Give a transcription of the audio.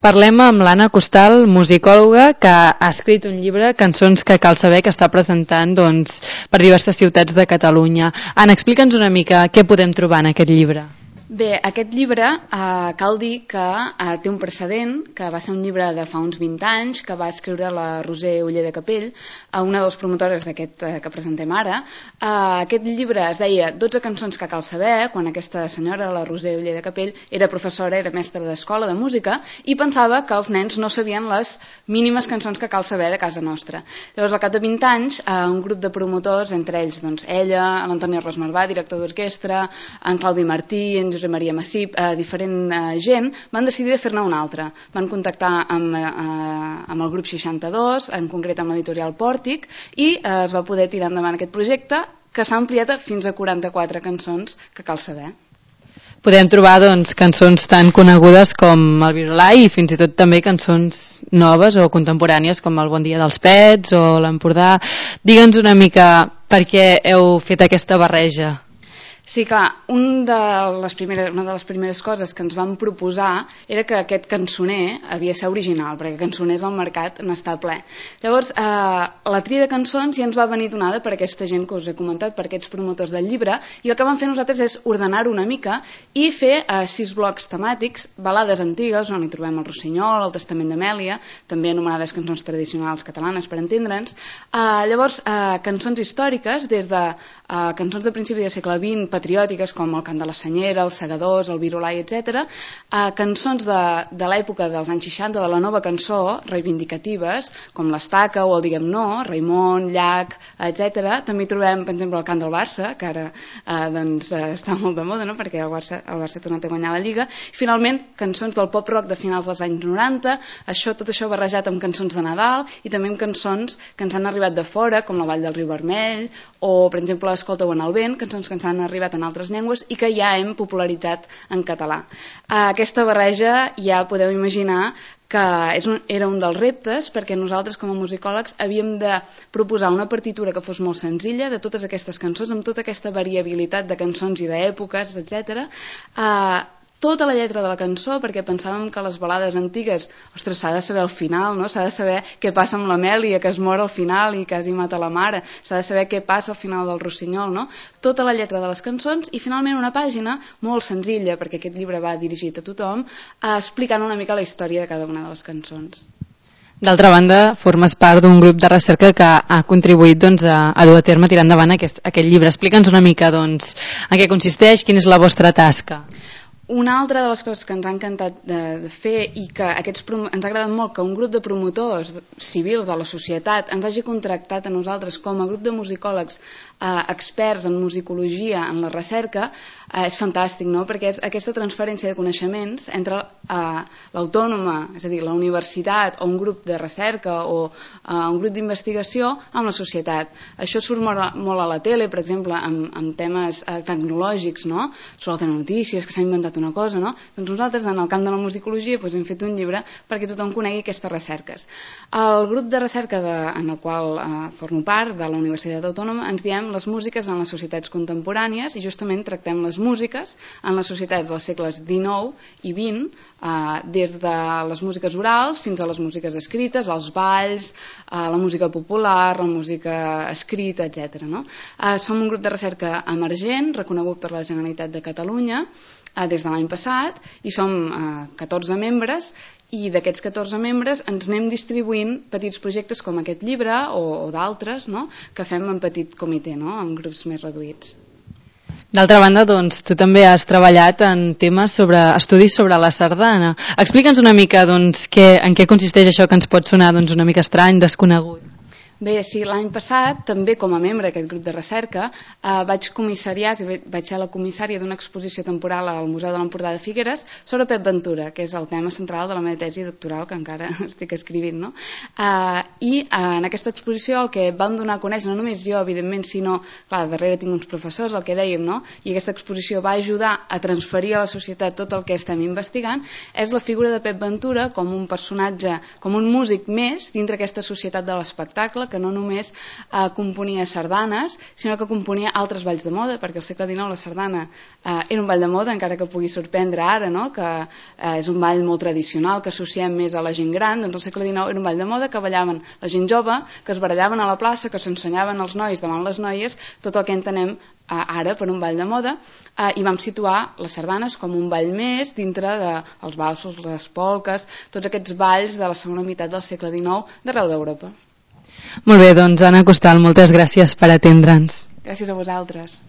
Parlem amb l'Anna Costal, musicòloga, que ha escrit un llibre, Cançons que cal saber, que està presentant per diverses ciutats de Catalunya. Anna, explica'ns una mica què podem trobar en aquest llibre. Bé, aquest llibre cal dir que té un precedent, que va ser un llibre de fa uns 20 anys, que va escriure la Roser Oller de Capell, una de les promotores d'aquest que presentem ara. Aquest llibre es deia 12 cançons que cal saber, quan aquesta senyora, la Roser Oller de Capell, era professora, era mestra d'escola de música, i pensava que els nens no sabien les mínimes cançons que cal saber de casa nostra. Llavors, al cap de 20 anys, un grup de promotors, entre ells ella, l'Antoni Ros Marvà, director d'orquestra, en Claudi Martí, en Josep Maria Massip, diferent gent, van decidir de fer-ne una altra. Van contactar amb el grup 62, en concret amb l'editorial Pòrtic, i es va poder tirar endavant aquest projecte, que s'ha ampliat fins a 44 cançons que cal saber. Podem trobar cançons tan conegudes com el Virolai i fins i tot també cançons noves o contemporànies com el Bon dia dels Pets o l'Empordà. Digue'ns una mica per què heu fet aquesta barreja. Sí, clar, una de les primeres coses que ens vam proposar era que aquest cançoner havia de ser original, perquè cançoners al mercat n'està ple. Llavors, la tria de cançons ja ens va venir donada per aquesta gent que us he comentat, per aquests promotors del llibre, i el que vam fer nosaltres és ordenar-ho una mica i fer 6 blocs temàtics, balades antigues, on hi trobem el Rossinyol, el Testament d'Amèlia, també anomenades cançons tradicionals catalanes, per entendre'ns. Llavors, cançons històriques, des de cançons de principi del segle XX, patriòtiques com el Cant de la Senyera, els Segadors, el Virolai, etc. Cançons de l'època dels anys 60, de la nova cançó, reivindicatives, com l'Estaca o el Diguem No, Raimon, Llach, etc. També hi trobem, per exemple, el Cant del Barça, que ara està molt de moda, no? Perquè el Barça ha tornat a guanyar la Lliga. I, finalment, cançons del pop-rock de finals dels anys 90, tot això barrejat amb cançons de Nadal i també amb cançons que ens han arribat de fora, com la Vall del Riu Vermell, o, per exemple, Escolta-ho en el vent, cançons que ens han arribat en altres llengües i que ja hem popularitzat en català. Aquesta barreja ja podeu imaginar que era un dels reptes, perquè nosaltres com a musicòlegs havíem de proposar una partitura que fos molt senzilla de totes aquestes cançons, amb tota aquesta variabilitat de cançons i d'èpoques, etc. Tota la lletra de la cançó, perquè pensàvem que les balades antigues, ostres, s'ha de saber el final, no? S'ha de saber què passa amb l'Amèlia, que es mor al final i quasi mata la mare, s'ha de saber què passa al final del Rossinyol, no? Tota la lletra de les cançons i finalment una pàgina molt senzilla, perquè aquest llibre va dirigit a tothom, explicant una mica la història de cada una de les cançons. D'altra banda, formes part d'un grup de recerca que ha contribuït a dur a terme, tirar endavant aquest llibre. Explica'ns una mica en què consisteix, quina és la vostra tasca. Una altra de les coses que ens ha encantat de fer i que ens ha agradat molt que un grup de promotors civils de la societat ens hagi contractat a nosaltres com a grup de musicòlegs experts en musicologia, en la recerca, és fantàstic, no? Perquè és aquesta transferència de coneixements entre l'autònoma, és a dir, la universitat o un grup de recerca o un grup d'investigació amb la societat. Això surt molt a la tele, per exemple, amb temes tecnològics, no? Sobre el Telenotícies, que s'ha inventat una cosa, no? Doncs nosaltres en el camp de la musicologia hem fet un llibre perquè tothom conegui aquestes recerques. El grup de recerca en el qual formo part, de la Universitat Autònoma, ens diem les músiques en les societats contemporànies i justament tractem les músiques en les societats dels segles XIX i XX, des de les músiques orals fins a les músiques escrites, els balls, la música popular, la música escrita, etc. Som un grup de recerca emergent, reconegut per la Generalitat de Catalunya des de l'any passat, i som 14 membres, i d'aquests 14 membres ens anem distribuint petits projectes com aquest llibre o d'altres, no? Que fem en petit comitè, no? En grups més reduïts. D'altra banda, tu també has treballat en temes estudis sobre la sardana. Explica'ns una mica en què consisteix això que ens pot sonar una mica estrany, desconegut. Bé, sí, l'any passat, també com a membre d'aquest grup de recerca, vaig ser la comissària d'una exposició temporal al Museu de l'Empordà de Figueres sobre Pep Ventura, que és el tema central de la meva tesi doctoral, que encara estic escrivint, no? I en aquesta exposició el que vam donar a conèixer, no només jo, evidentment, sinó, clar, darrere tinc uns professors, el que dèiem, no? I aquesta exposició va ajudar a transferir a la societat tot el que estem investigant, és la figura de Pep Ventura com un personatge, com un músic més dintre aquesta societat de l'espectacle, espanyola que no només componia sardanes, sinó que componia altres balls de moda, perquè al segle XIX la sardana era un ball de moda, encara que pugui sorprendre ara, no? Que és un ball molt tradicional, que associem més a la gent gran. Doncs al segle XIX era un ball de moda que ballaven la gent jove, que es barallaven a la plaça, que s'ensenyaven els nois davant les noies, tot el que entenem ara per un ball de moda, i vam situar les sardanes com un ball més dintre dels valsos, les polques, tots aquests balls de la segona meitat del segle XIX d'arreu d'Europa. Molt bé, doncs Anna Costal, moltes gràcies per atendre'ns. Gràcies a vosaltres.